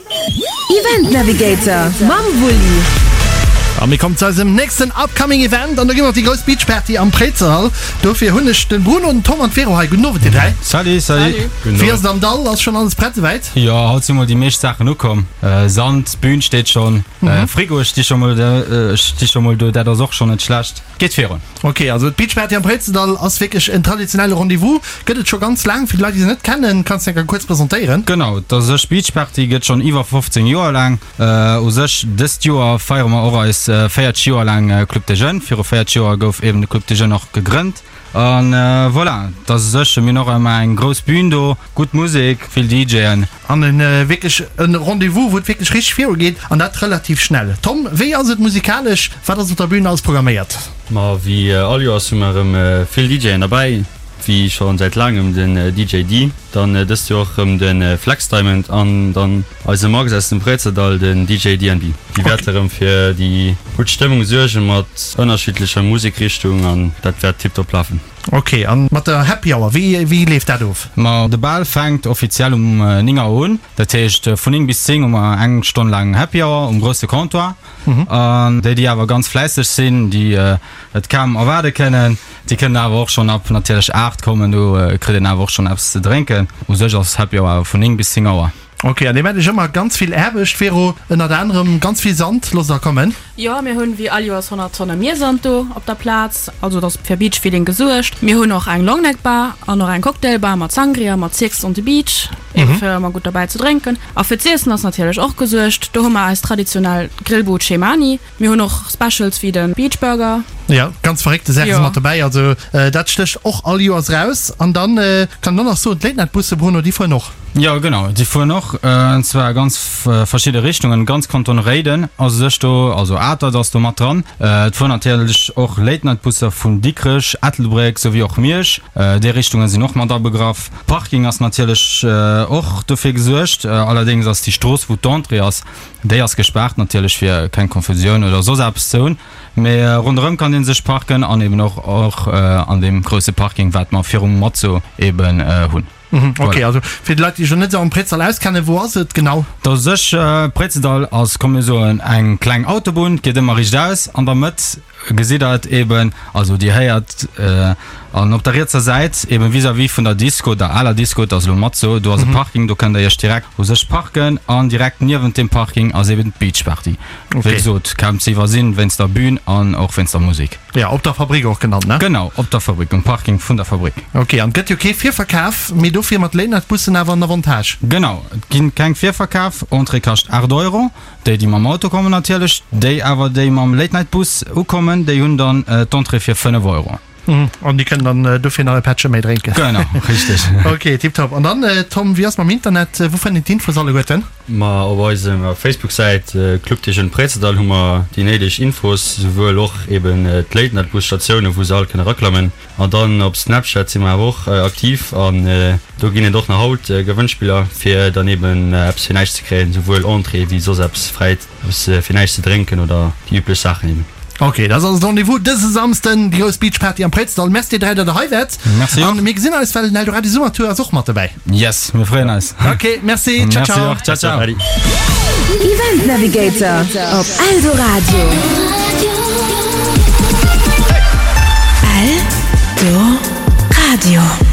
Event Navigator mam Wulli. A mir kommen zu eisem nächsten upcoming Event an do gi mer op déi grouss Beach Party am Préizerhall. Dofir hunn ech den Bruno, den Tom an d'Vero hei. Gudden Owend dir 3. Salut, salut. Wéi ass et am Dall? Ass schonn alles prett esouwäit? Jo, haut si mol déi meescht Saachen ukomm. Sand, d'Bühn steet schonn, Frigoe sti scho mol sti scho mol do, dat ass och schonn net schlecht. Geet virun. Ok, also d'Beach Party am Préizendall ass wierklech en traditionelle Rendez-vous. Gëtt et scho ganz laang. Fir déi Leit, déi se net kennen, kanns de enker kuerz presentéieren? Genau, et ass sech Beach Party gëtt schonn iwwer 15 Joer laang. U sech dëst Joer feiere mer och eis 40 Joer laang Club des Jeunes. Viru 40 Joer gouf eben de Club des Jeunes och gegrënnt. A voilà, et ass u sech, mir hunn och ëmmer eng grouss Bühn do, gutt Musek, vill DJen. An en wierklech en Rendez-vous, wou et wierklech richteg viru geet, an dat relativ schnell. Tom, wéi ass et musikalesch? Wat ass op der Bühn alles programméiert? Ma wéi all Joers hu mer erëm vill DJen derbäi, wéi scho säit laangem den DJ Dee, dann dëst Joer och erëm de Flex Diamond an dann eise Max aus dem Préizerdall, den DJ DNB. Déi wäerte erëm fir déi gutt Stëmmung suerge mat ënnerschiddlecher Musekrichtung an dat wäert tiptop lafen. Ok, an mat der Happy Hour, wéi wéi leeft dat of? Ma de Bal fänkt offiziell um 9 Auer un. Dat heescht vun 9 bis 10 hu mer eng Stonn laang Happy Hour um grousse Comptoir. An déi déi awer ganz fläisseg sinn, déi et kaum erwaarde kënnen, déi kënnen awer och schonn ab natierlech 8 kommen, do kritt een awer och schonn eppes ze drénken. U sech ass Happy Hour awer vun 9 bis 10 Auer. Ok, an dir maacht iech ëmmer ganz vill Aarbecht viru, ënnert anerem ganz vill Sand loosst der kommen. Jo, mir hunn wéi all Joers 100 Tonne Miersand do op der Plaz, also et ass fir Beach Feeling gesuergt. Mir hunn och eng Longneck Bar an och eng Cocktail Bar mat Sangria, mat Six on the Beach, eben fir ëmmer gutt derbäi ze drénken. A fir z'iessen ass natierlech och gesuergt, do hu mer eis traditionell Grillbud Chez Mani. Mir hunn och Specials wéi de Beach Burger. Jo, ganz verréckte Saache si mat dobäi. Also dat stécht och all Joers raus. An dann kann een och nach soen, d'Late Night Busse, Bruno, déi fueren och. Jo, genau, déi fueren och. An zwar a ganz verschidde Richtungen. Ganz Kanton Réiden ass u sech do, also Atert ass do mat dran. Et fueren natierlech och Late Night Busser vun Dikrech, Ettelbréck souwéi och Miersch. Déi Richtunge sinn och mat abegraff. Parking ass natierlech och dofir gesuergt. Allerdéngs ass déi Strooss, wou d'Entrée ass, Déi ass gespaart natierlech fir keng Konfusioun oder soss eppes ze hunn, mee ronderëm kann een sech parken an eben och och an deem grousse Parking wat mer virum Mazzo eben hunn. Ok, also fir déi Leit déi sech elo net esou am Préizerdahl auskennen, wou ass et genau? Da sech Préizerdahl ass, komm mir soen, eng kleng Autobunn, geet ëmmer riicht aus, an der Mëtt Gesitt der et eben, also dir héiert an op der rietser Säit eben vis-à-vis vun der Disco, der aler Disco, et ass elo Mazzo, do ass e Parking, do kënnt der iech direkt u sech parken an direkt niewent deem Parking ass eben d'Beach Party. Wéi gesot, kaum ze iwwersinn wéinst der Bühn an och wéinst der Musek. Jo, op der Fabrik och genannt, ne? Genau, op der Fabrik, um Parking vun der Fabrik. Ok, an et gëtt jo kee Virverkaf, mee dofir mat Lénert-Bussen awer en Avantage. Genau, et ginn keng Virverkaf, Entrée kascht 8 Euro. Déi, déi mam Auto kommen natierlech, déi awer, déi mam Late Night Bus ukommen, déi hunn dann d'Entrée fir 5 Euro. An déi kënnen dann dofir nach e Pättche méi drénken. Genau, richteg. Ok, tiptop. An dann, Tom, wéi ass mam Internet? Wou fënnt een d'Infos alleguerten? Ma op eiser Facebook-Säit Club des Jeunes Préizerdahl hu mer déi néideg Infos, souwuel och eben d'Late Night Bus Statiounen, wou se all kënne eraklammen. An dann op Snapchat si mer awer och aktiv an do ginn et och nach haut Gewënnspiller fir dann eben eppes fir näischt ze kréien, souwuel Entrée wéi soss eppes fräit, eppes fir näischt ze drénken oder déi üblech Saachen eben. Ok, dat ass also de Rendez-vous dëse Samsden, déi grouss Beach Party am Préizerdahl. Merci dir 3 dat der hei waart. Merci och. An mir gesinn eis, well den Eldoradio Summertour ass och mat dobäi. Yes, mir freeën eis. Ok, merci, ciao Merci ciao. och, ciao ciao. Adi. Event Navigator op Eldoradio. Eldoradio.